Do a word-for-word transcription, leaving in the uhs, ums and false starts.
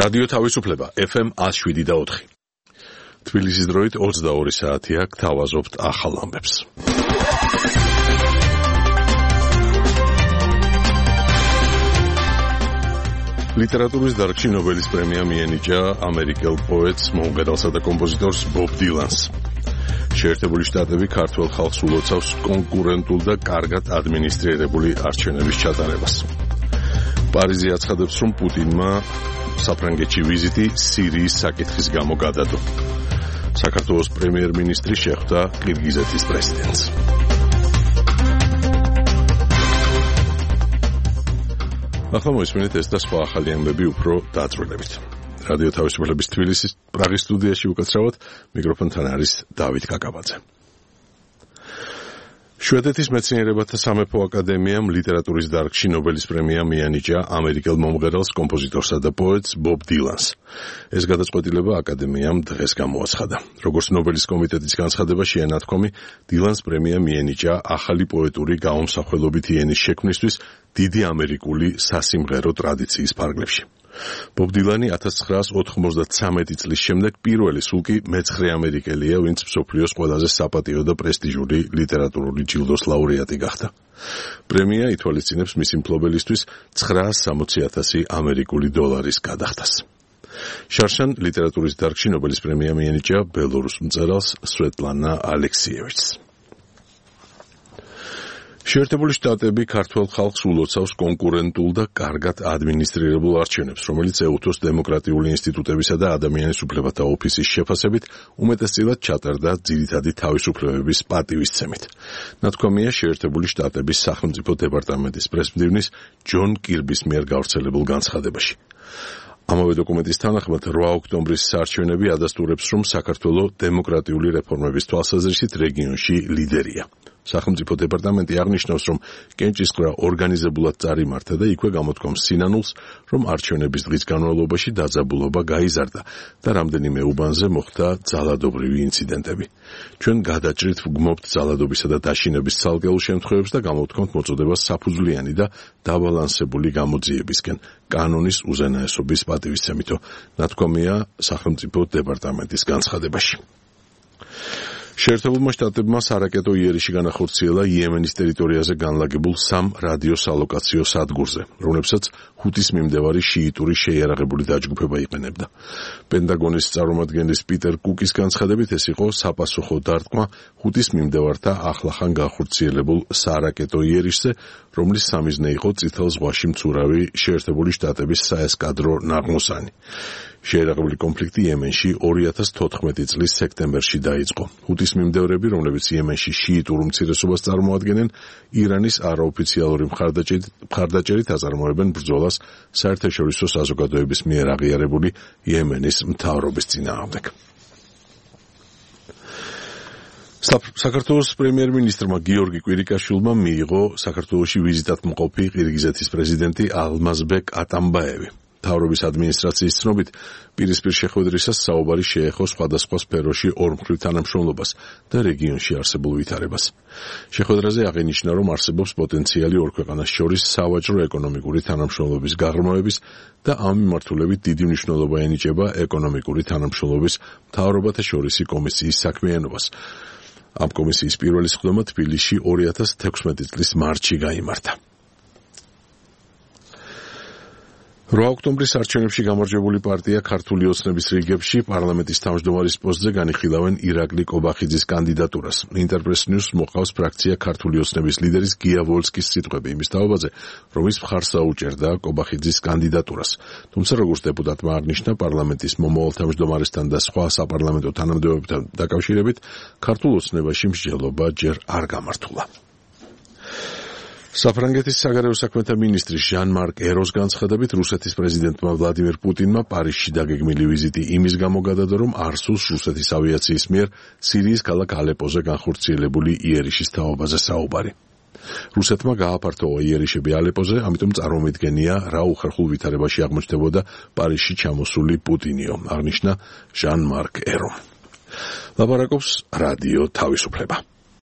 რადიო თავისუფლება ეფ ემ ათს შვიდი და ოთხი. თბილისის დროით ოცდაორი საათია, გთავაზობთ ახალ ამბებს. ლიტერატურის დარგში ნობელის პრემია მიენიჭა ამერიკელ პოეტს, მომღერალსა და კომპოზიტორს ბობ დილანს. შეერთებული შტატები ქართველ ხალხს ულოცავს კონკურენტულ და კარგად ადმინისტრირებული არჩევნების ჩატარებას. პარიზი აცხადებს, რომ პუტინმა საფრანგეთში ვიზიტი სირიის საკითხის გამო გადადო. საქართველოს პრემიერ-მინისტრი შეხვდა ყირგიზეთის პრეზიდენტს. ახლა მოისმინეთ ეს და სხვა ახალი ამბები უფრო დაწვრილებით. რადიო თავისუფლების თბილისის პრაღის სტუდიაში უკაცრავად მიკროფონთან არის დავით კაკაბაძე. შვედეთის მეცნიერებათა სამეფო აკადემიამ ლიტერატურის დარგში ნობელის პრემია მიენიჭა ამერიკელ მომღერალს, კომპოზიტორსა და პოეტს ბობ დილანს. ეს გადაწყვეტილება აკადემიამ დღეს გამოაცხადა. როგორც ნობელის კომიტეტის განცხადებაში ენათქვამი, დილანს პრემია მიენიჭა ახალი პოეტური გაუმსახველობითი ენის შექმნისთვის დიდი ამერიკული სასიმღერო ტრადიციის ფარგლებში. ბობ დილანი ათას ცხრაას ოთხმოცდათვრამეტი წლის შემდეგ პირველი სულ კი მეცხრე ამერიკელია, ვინც მსოფლიოს ყველაზე საპატიო და პრესტიჟული ლიტერატურული ჯილდოს ლაურეატი გახდა. პრემია ითვალისწინებს მისი მფლობელისთვის ცხრაას სამოცი ათასი ამერიკული დოლარის გადახდას. შარშან ლიტერატურის დარგში ნობელის პრემია მიენიჭა ბელორუს მწერალს სვეტლანა ალექსიევიჩს. შეერთებული შტატები ქართველ ხალხს ულოცავს კონკურენტულ და კარგად ადმინისტრირებულ არჩევნებს, რომელიც ეუთოს დემოკრატიული ინსტიტუტებისა და ადამიანის უფლებათა ოფისის შეფასებით უმეტესწილად ჩატარდა ძირითადი თავისუფლებების პატივისცემით. ნათქვამია შეერთებული შტატების სახელმწიფო დეპარტამენტის პრესმდივნის ჯონ კირბის მიერ გავრცელებულ განცხადებაში. ამავე დოკუმენტის თანახმად რვა ოქტომბრის საარჩევნები ადასტურებს, რომ საქართველოს დემოკრატიული რეფორმების თვალსაზრისით რეგიონში ლიდერია. სახელმწიფო დეპარტამენტი აღნიშნავს, რომ კენჭისყრა ორგანიზებულად წარიმართა და იქვე გამოთქვამს სინანულს, რომ არჩევნების დღის განმავლობაში დაძაბულობა გაიზარდა და რამდენიმე უბანზე მოხდა ძალადობრივი ინციდენტები. ჩვენ გადაჭრით ვგმობთ ძალადობისა და დაშინების ცალკეულ შემთხვევებს და გამოვთქვამთ მოწოდებას საფუძვლიანი და დაბალანსებული გამოძიებისკენ კანონის უზენაესობის პატივისცემითო, ნათქვამია სახელმწიფო დეპარტამენტის განცხადებაში. შეერთებულმა შტატებმა სარაკეტო იერიში განახორციელა იემენის ტერიტორიაზე განლაგებულ სამ რადიოსალოკაციო სადგურზე, რომლებსაც ჰუთის მიმდევარი შიიტური შეიარაღებული დაჯგუფება იყენებდა. პენტაგონის წარმომადგენლის პიტერ კუკის განცხადებით, ეს იყო საპასუხო დარტყმა ჰუთის მიმდევართა ახლახან განხორციელებულ სარაკეტო იერიშზე, რომლის სამიზნე იყო წითელ ზღვაში მცურავი შეერთებული შტატების საესკადრო ნაღმოსანი. შეიარაღებული კონფლიქტი იემენში ორი ათას თოთხმეტი წლის სექტემბერში დაიწყო. ჰუთის მიმდევრები, რომლებიც იემენში შიიტურ უმცირესობას წარმოადგენენ, ირანის არაოფიციალური მხარდაჭერით აწარმოებენ ბრძოლას საერთაშორისო საზოგადოების მიერ აღიარებული იემენის მთავრობის წინააღმდეგ. საქართველოს პრემიერ-მინისტრმა გიორგი კვირიკაშვილმა მიიღო საქართველოში ვიზიტად მყოფი ყირგიზეთის პრეზიდენტი ალმაზბეკ ატამბაევი. მთავრობის ადმინისტრაციის ცნობით, პირისპირ შეხვედრისას საუბარი შეეხო სხვადასხვა სფეროში ორმხრივ თანამშრომლობას და რეგიონში არსებულ ვითარებას. შეხვედრაზე აღინიშნა, რომ არსებობს პოტენციალი ორ ქვეყანას შორის სავაჭრო-ეკონომიკური თანამშრომლობის გაღრმავების და ამ მიმართულებით დიდი მნიშვნელობა ენიჭება ეკონომიკური თანამშრომლობის მთავრობათა შორისი კომისიის საქმიანობას. ამ კომისიის პირველი სხდომა თბილისში ორი ათას თექვსმეტი წლის მარტში გაიმართა. რვა ოქტომბრის არჩევნებში გამარჯვებული პარტია ქართული ოცნების რიგებში პარლამენტის თავმჯდომარის პოსტზე განიხილავენ ირაკლი კობახიძის კანდიდატურას. ინტერპრეს ნიუს მოყავს ფრაქცია ქართული ოცნების ლიდერის გია ვოლსკის სიტყვები იმის თაობაზე, რომ ის მხარს აუჭერდა კობახიძის კანდიდატურას. თუმცა როგორც დეპუტატმა აღნიშნა, პარლამენტის მომავალ თავმჯდომარესთან და სხვა საპარლამენტო თანამდებობებთან დაკავშირებით ქართულ ოცნებაში მსჯელობა ჯერ არ გამართულა. საფრანგეთის საგარეო საქმეთა მინისტრის ჟან-მარკ ეროს განცხადებით, რუსეთის პრეზიდენტმა ვლადიმირ პუტინმა პარიზში დაგეგმილი ვიზიტი იმის გამო გადადო, რომ არ სურს რუსეთის ავიაციის მიერ სირიის ქალაქ ალეპოზე განხორციელებული იერიშის თაობაზე საუბარი. რუსეთმა გააფართოვა იერიშები ალეპოზე, ამიტომ წარმომიდგენია, რა უხერხულ ვითარებაში აღმოჩნდებოდა პარიზში ჩამოსული პუტინიო, აღნიშნა ჟან-მარკ ერო. ლაპარაკობს რადიო თავისუფლება.